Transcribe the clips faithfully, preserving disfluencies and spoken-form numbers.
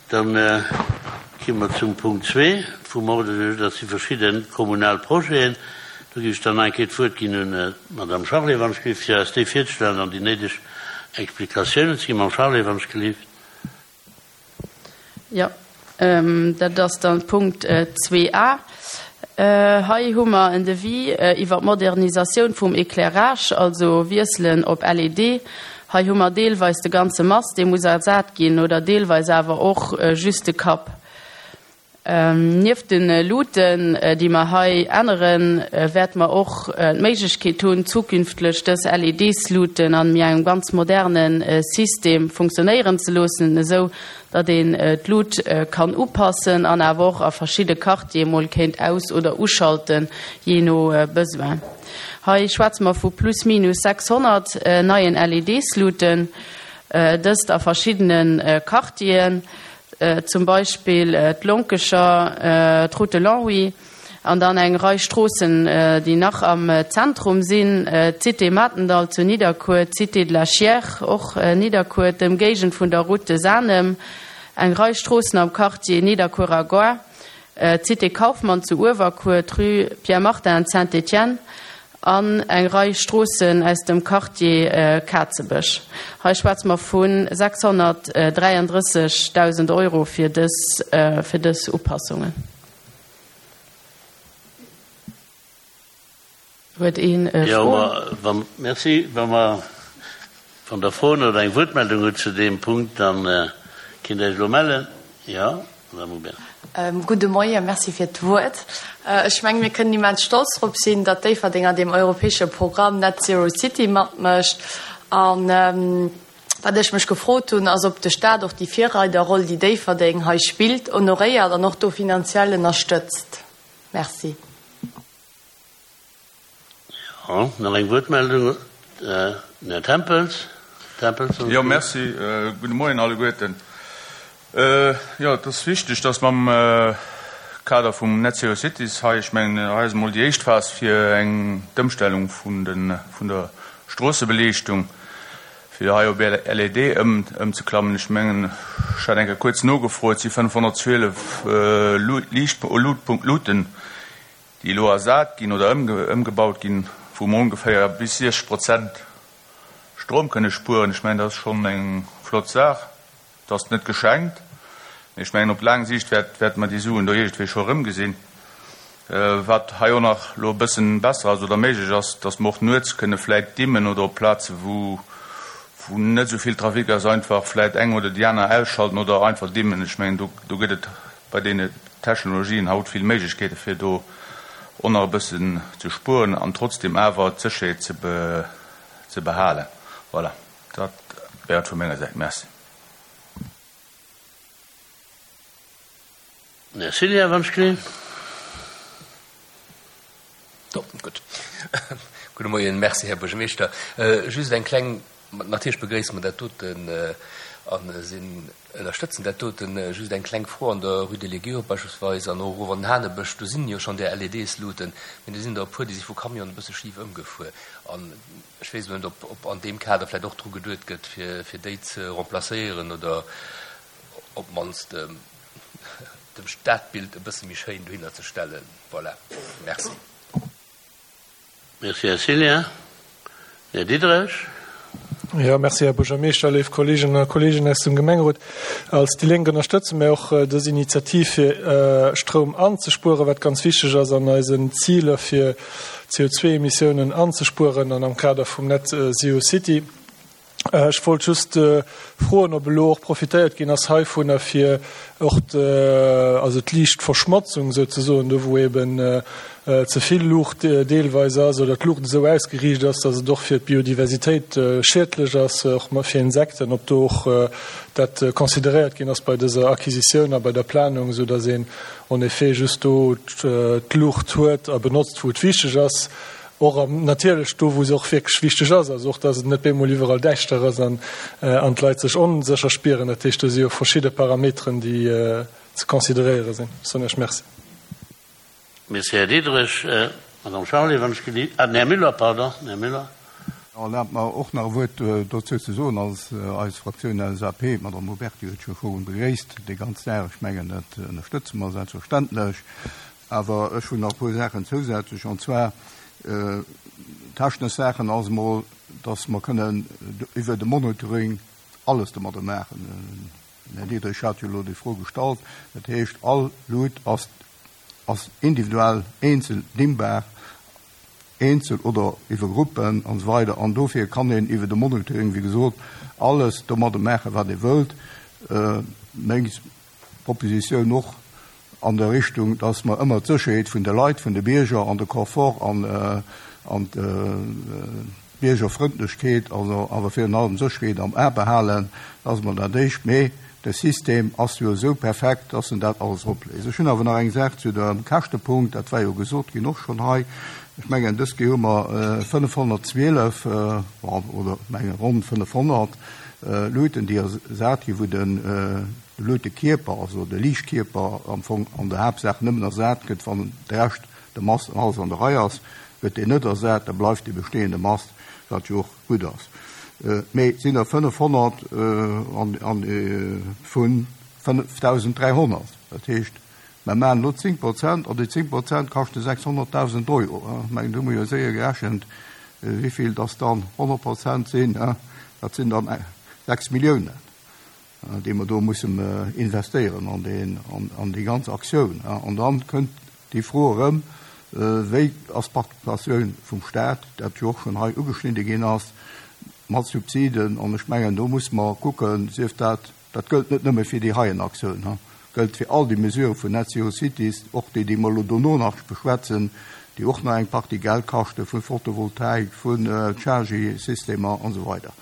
Dann gi mer zum Punkt zwee vum Ordre du jour, dat si verschidde kommunal Projeten. Do géif ech dann eng Kéier d'Wuert ginn un d'Madame Charlé, wann ech géif, fir eis déi virzestellen an déi néideg Explikatiounen ze ginn. Madame Charlé, wann ech gelift. Jo, dat ass dann Punkt zwee a. Hei hu mer en Devis iwwer d'Modernisatioun vum Éclairage, also Wiesselen op L E D. Hei hu mer deelweis de ganze Mast, dee muss ersat ginn, oder deelweis awer och just de Kapp. Nieft de Luuten, déi mer hei änneren, wäerte mer och d'Méiglechkeet hunn, zukünftlech dës L E D-Luuten an engem ganz moderne System funktionéieren ze loossen, esou datt een d'Lut kann upassen an awer och a verschidde Quartiere mol kéint aus- oder uschalten, jee no Besoin. Hei schwätze mer vu plus minus sechshonnert neien L E D-Luuten, dëst a verschiddene Quartieren, zum Beispill d'Lonkecher, d'Route de Longwy an dann eng Rei Stroossen, déi nach am Zentrum sinn, d'Cité Matendall zu Nidderkuer, d'Cité de la Chiers, och Nidderkuer, d'Ëmgéigend vun der Route de Sanem, eng Rei Stroossen am Quartier Nidderkuerer Gare, d'Cité Kaufmann zu Uewerkuer, d'Rue Pierre Martin Saint-Étienne an eng Rei Stroossen aus dem Quartier Kazebësch. Hei schwätze mer vu sechshonnertdräiandrëssegdausend Euro fir dës, fir dës Upassungen. Huet een Jo, ma merci. Wa mer vun der Froen oder eng Wuertmeldung hutt zu deem Punkt, dann kinnt Der Iech elo mellen. Jo, Madame Hubert. Gudde Moien, merci fir d'Wuert. Ech mengen, mir kënnen immens stolz drop sinn, datt Déifferdeng an deem europäesche Programm Net Zero City matmécht. An wat ech mech gefrot hunn, ass, ob de Staat och déi Virreiderroll, déi Déifferdeng hei spillt, honoréiert an och do finanziell ënnerstëtzt. Merci. Jo, nach eng Wuertmeldung, den Här Tempels. Tempels. Jo, merci. Gudde Moien alleguerten. Jo, et ass wichteg, dass mer am Kader vum Net Zero Cities hei, ech mengen, hei ass emol déi éischt Phas fir eng d'Ëmstellung vun de vun der Stroossebeliichtung, fir hei op L E D ëm ëmzeklammen. Ech mengen, ech hat eng Kéier kuerz nogefrot, et si fënnefhonnertzwielef Liicht Luuten, déi elo ersat ginn oder ëmgebaut ginn, wou mer ongeféier bis siechzeg Prozent Stroum kënne spueren. Ech mengen, dat ass schonn eng flott Saach. Dat ass net geschenkt. Ech mengen, op laang Siicht wäert wäerte mer déi Suen do iergendwéi scho erëmgesinn. Wat hei och nach elo e bëssen besser ass oder méiglech ass, dass mer och nuets kënne vläit dimmen oder op Plaze wou wou net esou vill Trafic ass, einfach vläit eng oder déi aner ausschalten oder einfach dimmen. Ech mengen, do do gëtt et bei deene Technologien haut vill Méiglechkeete fir do och nach e bëssen ze spueren an trotzdem awer d'Sécherheet ze be ze behalen. Voilà, dat wär et vu menger Säit. Merci. Här Cillien, wann ech gelift. Gutt. Gudde Moien, merci, Här Buergermeeschter. Just eng kleng, natierlech begréisse mer dat doten a sinn ënnerstëtzen dat doten. Just eng kleng Fro: An der Rue de l'Aiguille beispillsweis an och erof an den Hanebësch, do sinn jo schonn där L E Ds-Luuten, mee do sinn der e puer, déi si vu Camionen e bësse schif ëmgefuer. An ech weess net, ob ob an deem Kader vläicht och dru geduet gëtt, fir fir déi ze remplacéieren oder op d'mannst dem Stadbild e bësse méi schéin dohinner ze stellen. Voilà, merci. Merci, Här Cillien. Här Diderich. Ja, merci, Här Buergermeeschter, léif Kolleeginnen a Kolleegen aus dem Gemengerot. Als déi Lénk ënnerstëtze mir och dës Initiativ, fir Stroum anzespueren, wat ganz wichteg ass an eisen Ziler, fir C O zwei Emissiounen anzespueren an am Kader vum Net Zero City. Ech wollt just froen, ob elo och profitéiert ginn ass heivunner, fir och also d'Liichtverschmotzung souzesoen, do wou eben ze vill Luucht deelweis ass oder d'Luucht esou ausgeriicht ass, datt et och fir d'Biodiversitéit schiedlech ass, och fir Insekten, ob do och dat consideréiert ginn ass bei dëser Acquisitioun a bei der Planung, esou datt een en effet just do d'Luucht huet a benotzt, wou et wichteg ass, och natierlech do, wou se och wierklech wichteg ass, also och datt et net bemol iwwerall däischter ass an an d'Leit sech onsécher spieren. Dat heescht, do si jo verschidde Parameteren, déi ze consideréiere sinn. Soen ech Merci. Merci, Här Diderich. Madame Charlé, wann ech gelift. Ah, den Här Müller, pardon, den Här Müller. Erlaabt mer och nach e Wuert dozou ze soen als eis Fraktioun L S A P. D'Madame Huberty huet scho virun begréisst déi ganz Saach. Ech mengen, dat ënnerstëtze mer selbstverständlech. Awer ech hunn nach e puer Saachen zousätzlech, an zwar technesch Saachen ass emol, dass mer kënnen iwwer de Monitoring alles domadder maachen. Den Här Diderich hat jo elo déi Fro gestallt. Dat heescht, all Lut ass ass individuell eenzel dimmbar, eenzel oder iwwer Gruppen an esou weider. An dofir kann een iwwer de Monitoring, wéi gesot, alles domadder maachen, wat ee wëllt. Meng Propositioun och an der Richtung, dass mer ëmmer d'Sécherheet vun de Leit, vun de Bierger an de Confort an an d'Biergerfrëndlechkeet, also awer virun allem d'Sécherheet am A behalen, dass mer dat éischt. Mee de System ass jo esou perfekt, dass en dat alles opléist. Ech hunn awer nach eng Saach zu dem Käschtepunkt, dat war jo gesot ginn och schonn hei. Ech mengen, dës Kéier hu mer fënnefhonnertzwielef oder menge ronn fënnefhonnert Luuten, déi ersat ginn, wou de Luutekierper, also de Liichtkierper am Fong an der Haaptsaach nëmmen ersat gëtt, wann de Rescht, de Mast an alles an der Rei ass, gëtt deen net ersat, da bleift dee bestehende Mast, wat jo och gutt ass. Mee et sinn der fënnefhonnert vu fënnefdausend dräihonnert. Dat heescht, mer maachen elo zéng Prozent an déi zéng Prozent kaschte sechshonnertdausend Euro. Ech mengen, do hu mer jo séier gerechent, wéi vill dass dann honnert Prozent sinn. Dat sinn dann sechs Milliounen, déi mer do mussen investéieren an deen, an déi ganz Aktioun. An dann kënnt déi Fro erëm, wéi ass d'Participatioun vum Staat, dat jo och schonn hei ugeschnidde ginn ass, mat Subsiden. An ech mengen, do muss mer kucken, sief dat, dat gëllt net nëmme fir déi heien Aktioun, gëllt fir all déi Mesurë vun Net Zero Cities, och déi, déi mer elo dono nach beschwätzen, déi och nach eng Partie Geld kaschte vu Photovoltaik, vun Chargy-Systemer an esou weider.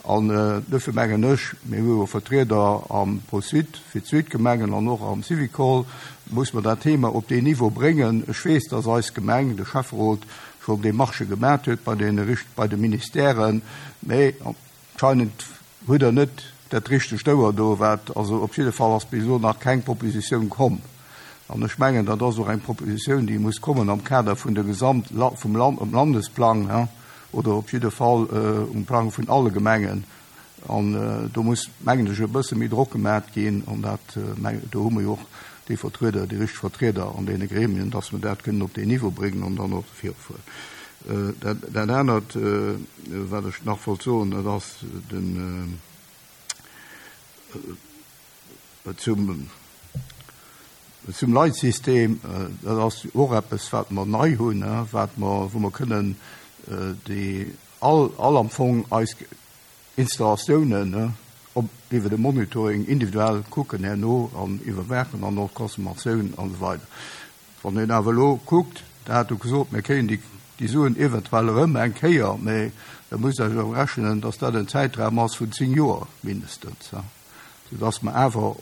An dofir mengen ech, mir hu jo Vertrieder am ProSud fir d'Südgemengen an och am Syvicol, muss mer dat Thema op deen Niveau bréngen. Ech weess, dass eis Gemeng, de Schäfferot, schonn Demarchë gemaat huet bei den, bei de Ministèren, mee anscheinend huet der net dat richtegt Ouer do, wat, also op jidde Fall ass bis elo nach keng Propositioun komm. An ech mengen, dat ass och eng Propositioun, déi muss kommen am Kader vun der Gesamt vum Land, um Landesplang, oder op jidde Fall um Plang vun alle Gemengen. An do muss, mengen ech, e bësse méi Drock gemaat ginn, an dat, do hu mer jo och déi Vertrieder, déi richteg Vertrieder an deene Gremien, dass mer dat kënnen op deen Niveau bréngen an dann och virufueren. Dat, dat anert, wat ech nach wollt soen, dat ass den zum zum Leitsystem. Dat ass och eppes, wat mer nei hunn, wat mer, wou mer kënnen déi all, all am Fong eis Installatiounen op iwwer de Monitoring individuell kucken herno an iwwerwaachen an och d'Consommatioun an esou weider. Wann een awer elo kuckt, Der hat jo gesot, mir kréien déi, déi Suen eventuell erëm eng Kéier, mee da musst Der jo rechnen, dass dat en Zäitraum ass vun zéng Joer mindestens, soudass mer awer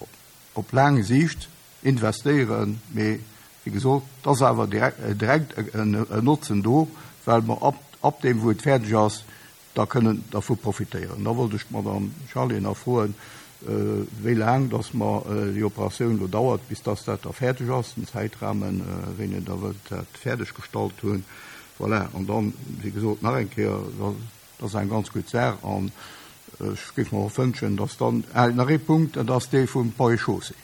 op laang Siicht investéieren. Mee wéi gesot, et ass awer direkt en Notzen do, well mer ab, ab deem, wou et fäerdeg ass, da kënnen dervu profitéieren. Da wollt ech d'Madame Charlé nach froen, wéi laang dass mer déi Operatioun elo dauert, bis dass dat da fäerdeg ass, den Zäitrahmen, wéini Der wëllt dat fäerdeg gestallt hunn. Voilà, an dann, wéi gesot, nach eng Kéier, dat ass eng ganz gutt Saach an ech géif mer och wënschen, dass dann, ah, nach ee Punkt, dat ass dee vum Ponts et Chaussées.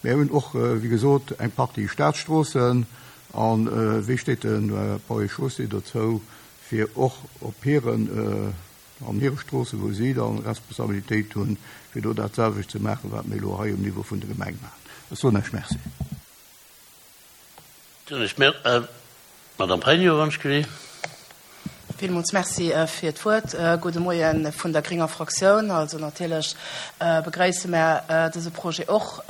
Mir hunn och, wéi gesot, eng Partie Staatsstroossen an wéi steet de Ponts et Chaussées dozou, fir och op hiren, an hire Stroossen, wou si dann Responsabilitéit hunn, fir do dat selwecht ze maachen, wat mir elo hei um Niveau vun der Gemeng maachen. Ech soen Iech Merci. Madame Pregno, wann ech gelift. Villmools Merci fir d'Wuert. Gudde Moie vun der grénger Fraktioun. Also natierlech begréisse mer dëse Projet och,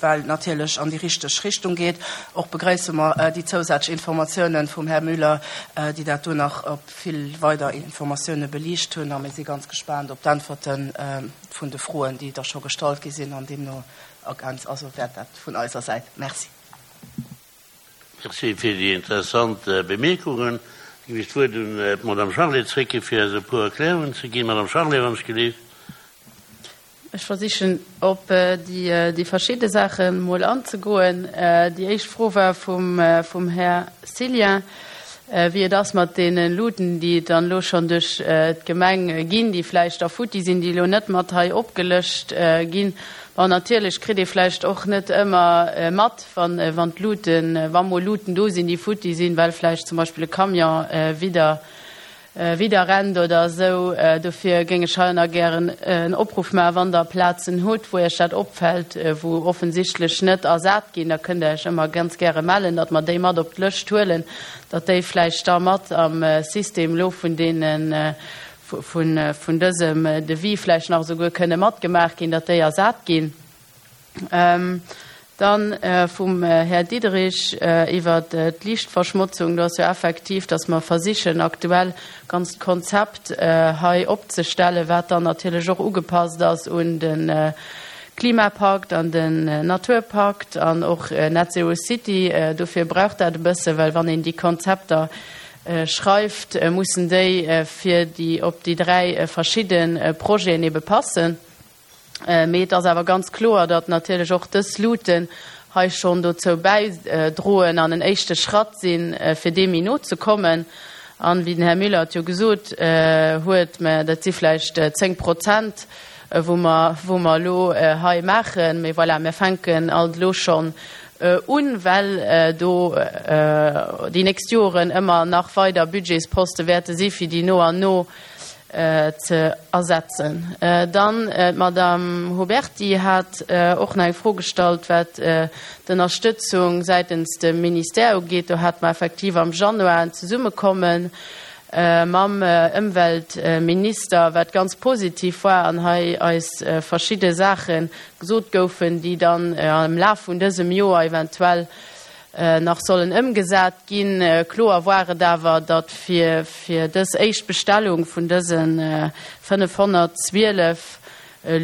well natierlech an déi richteg Richtung geet. Och begréisse mer déi zousätzlech Informatiounen vum Här Müller, déi dat do nach op vill weider Informatioune beliicht hunn. A mir si ganz gespaant op d'Äntwerte vun de Froen, déi da scho gestallt gi sinn an deemno ergänzt. Also wäert dat vun eiser Säit. Merci. Merci fir déi interessant Bemierkungen. Da ginn ech d'Wuert un d'Madame Charlé zréck, fir eis e puer Erklärungen ze ginn. Madame Charlé, wann ech gelift. Ech versichen op déi, déi verschidde Saache mol anzegoen. Déi éischt Fro war vum, vum Här Cillien. wéi et ass mat deene Luuten, déi et dann elo schonn duerch d'Gemeng ginn, déi vläicht da futti sinn, déi elo net mat hei opgelëscht ginn. Bon, natierlech kritt ee vläicht och net ëmmer mat, wann, wann d'Luuten, wa mol Luuten do sinn, déi futti sinn, well vläicht zum Beispill e Camion widder, widder rennt oder esou. Dofir géing ech hei nach gären en Opruff maachen, wann Der Plazen hutt, wou Iech dat opfält, wou offensichtlech net ersat ginn, da kënnt Der Iech ëmmer ganz gäre mellen, datt mer déi mat op d'Lëscht huelen, datt déi vläicht da mat am System elo vun deenen, vun, vun dësem Devis vläicht nach esouguer kënne matgemaach ginn, datt déi ersat ginn. Dann vum Här Diderich iwwert d'Liichtverschmotzung. Do ass jo effektiv, dass mer versichen aktuell ganzt Konzept hei opzestellen, wat dann natierlech och ugepasst ass un de Klimapakt an den Naturpakt an och Net Zero City. Dofir brauch dat e bësse, well wann een déi Konzepter schreift, mussen déi fir déi op déi dräi verschidde Projeten ebe passen. Mee et ass awer ganz kloer, datt natierlech och dës Luuten hei schonn dozou bäidroen an en éischte Schratt sinn, fir deem méi no ze kommen. An, wéi den Här Müller et jo gesot huet, mä dat si vläicht zéng Prozent, wou mer, wou mer elo hei maachen. Mee voilà, mir fänken alt elo schonn un, well do déi nächst Joren ëmmer nach weider Budgetsposte wäerte si fir déi no an no ze ersetzen. Dann d'Madame Huberty hat och nach eng Fro gestallt, wat d'Ënnerstëtzung säitens dem Ministère ugeet. Do hate mer effektiv am Januar en Zesummekomme mam Ëmweltminister, wat ganz positiv war an hei eis verschidde Saache gesot goufen, déi dann am Laf vun dësem Joer eventuell nach sollen ëmgesat ginn. Kloer war et awer, datt fir fir dës éischt Bestellung vun dëse fënnefhonnertzwielef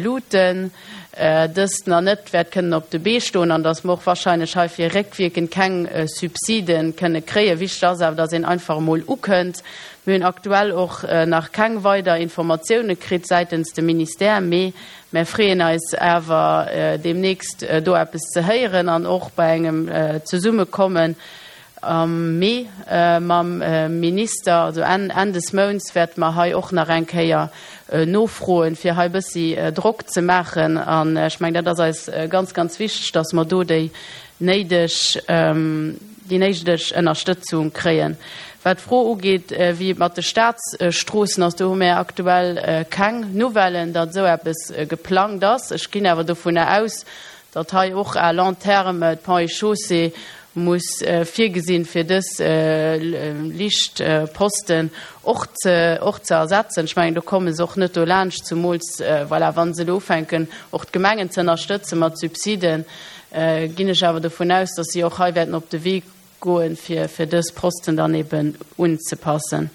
Luuten dëst nach net wäert kënnen op de Bee stoen an datt mer och wahrscheinlech heifir réckwierkend keng Subside kënne kréien. Wichteg ass awer, datt een einfach emol ukënnt. Mir hunn aktuell och nach keng weider Informatioune kritt säitens dem Ministère, mee mär freeën eis awer deemnächst do eppes ze héieren an och bei engem Zesummekommen am Mee mam Minister, also Enn Enn des Mounts, wäerte mer hei och nach eng Kéier nofroen, fir hei e bëssi Drock ze maachen. An ech mengen, dat ass eis ganz, ganz wichteg, dass mer do déi néideg, déi néideg Ënnerstëtzung kréien. Wat d'Fro ugeet, wéi et mat de Staatsstroossen ass, do hu mir aktuell keng Nouvellen, datt esou eppes geplangt ass. Ech ginn awer dovunner aus, datt hei och à long terme d'Ponts et Chaussées muss virgesinn, fir dës Liichtposten och ze och ze ersetzen. Ech mengen, do komme se och net dolaanscht, zumools, voilà, wa se elo ufänken, och d'Gemengen ze ënnerstëtze mat Subsiden, ginn ech awer dovun aus, datt si och hei wäerten op de Wee goen, fir fir dës Posten dann eben unzepassen.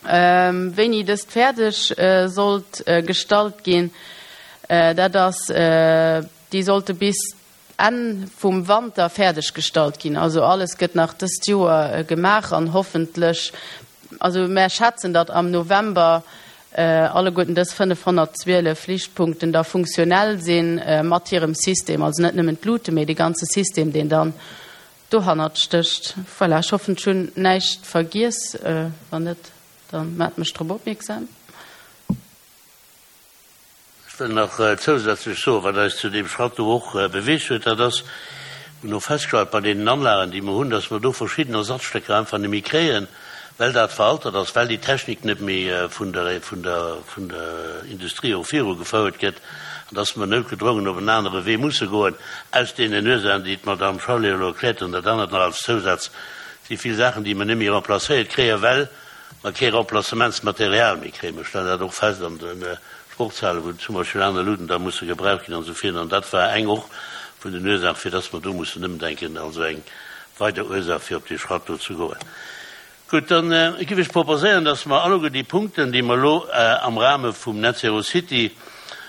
Wéini dëst fäerdeg sollt gestallt ginn, dat ass, déi sollte bis Enn vum Wanter fäerdeg gestallt ginn. Also alles gëtt nach dëst Joer gemaach an hoffentlech, also mär schätzen, datt am November alleguerten dës fënnefhonnertzwielef Liichtpunkten da funktionell sinn mat hirem System, also net nëmmen d'Lute, mee de ganze System, deen dann dohannert stécht. Voilà, ech hoffen, ech hunn näischt vergiess. Wann net, da maacht mech drop opmierksam. Ech wëll nach zousätzlech soen, wat eis zu deem Schratt do och beweegt huet, dat ass, mir hunn och festgestallt bei deenen Anlagen, déi mer hunn, dass mer do verschidden Ersatzstécker einfach net méi kréien, well dat veraltert ass, well déi Technik net méi vun der, vun der, vun der Industrie och virugefouert gëtt, an dass mer noutgedrongen op en anere Wee musse goen, aus deenen Ursachen, déi d'Madame Charlé elo erkläert huet. An dat anert nach als Zousaz, Et si vill Saachen, déi mer net méi remplacéiert kréien, well mer kee Remplacementsmaterial méi kréien. Mer stellen dat och fest an de Sportshalen, wou zum Beispill aner Luuten da musse gebraucht ginn an esou virun. An dat war eng och vun den Ursachen, fir dass mer do mussen ëmdenken, also eng weider Ursaach, fir op dee Schratt do ze goen. Gutt, dann géif ech proposéieren, dass mer alleguer déi Punkten, déi mer elo am Rahme vum Net Zero City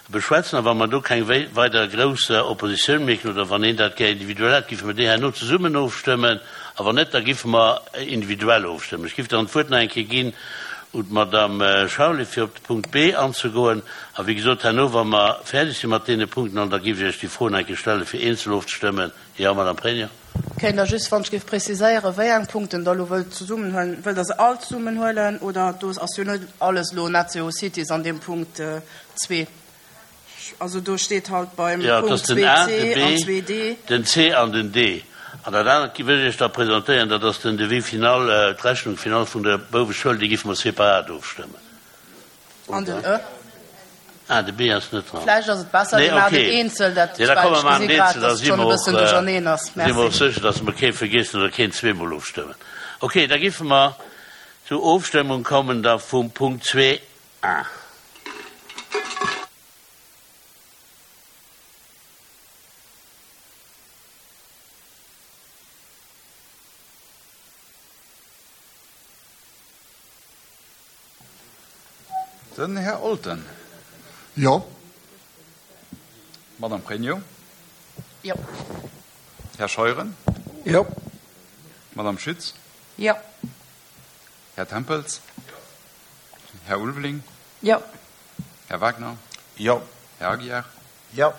beschwätzen, a wa mer do keng weider grouss Oppositioun mierken oder wann een dat gär individuell hätt, géife mer déi herno zesummen ofstëmmen, a wann net, da géife mer individuell ofstëmmen. Ech géif dann d'Wuert nach eng Kéier ginn un d'Madame Charlé, fir op de Punkt B anzegoen. A wéi gesot, herno, wa mer fäerdeg si mat deene Punkten, an da géif ech Iech déi Fro nach eng Kéier stellen, fir eenzel ofzestëmmen. Jo, Madame Pregno. Kéint Der just, wann ech géif preziséieren, wéi eng Punkten Der elo wëllt zesummenhuelen? Wëllt Der se all zesummenhuelen oder do ass jo net alles elo Net Zero Cities an deem Punkt zwee. Also do steet halt beim Jo, et Punkt ass den A, zwee de C an B, zwee D. den C an den D. An dat anert wëll ech Iech da presentéieren, dat ass den Devis final, d'Rechnung finale vun der Bouweschoul, déi géife mer separat ofstëmmen. An den E. Ah, de B ass net dran. Vläicht ass et besser, Nee, mir maachen okay. et eenzel, dat, Nee, da well komme ech mer maachen gesi et grad, eenzel, da dass et si schonn e mer och, bëssen duercherneen ass. si mer och Merci. sécher, dass mer kee vergiessen oder keen zweemol ofstëmmen. Okay, da géife mer zur Ofstëmmung kommen da vum Punkt zwee A. Den Här Olten. Jo. Madame Pregno. Jo. Här Scheuren. Jo. Madame Schütz. Jo. Här Tempels. Här Ulveling. Jo. Här Wagner. Jo. Här Aguiar. Jo.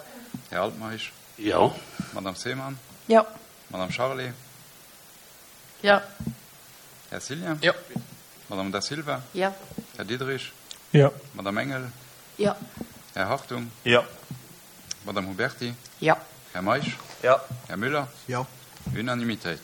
Här Altmeisch. Jo. Madame Seemann. Jo. Madame Charlé. Jo. Här Cillien. Jo. Madame Da Silva. Jo. Här Diderich. Jo. Madame Engel. Jo. Här Hartung. Jo. Madame Huberti. Jo. Här Meisch. Jo. Här Müller. Jo. Unanimitéit.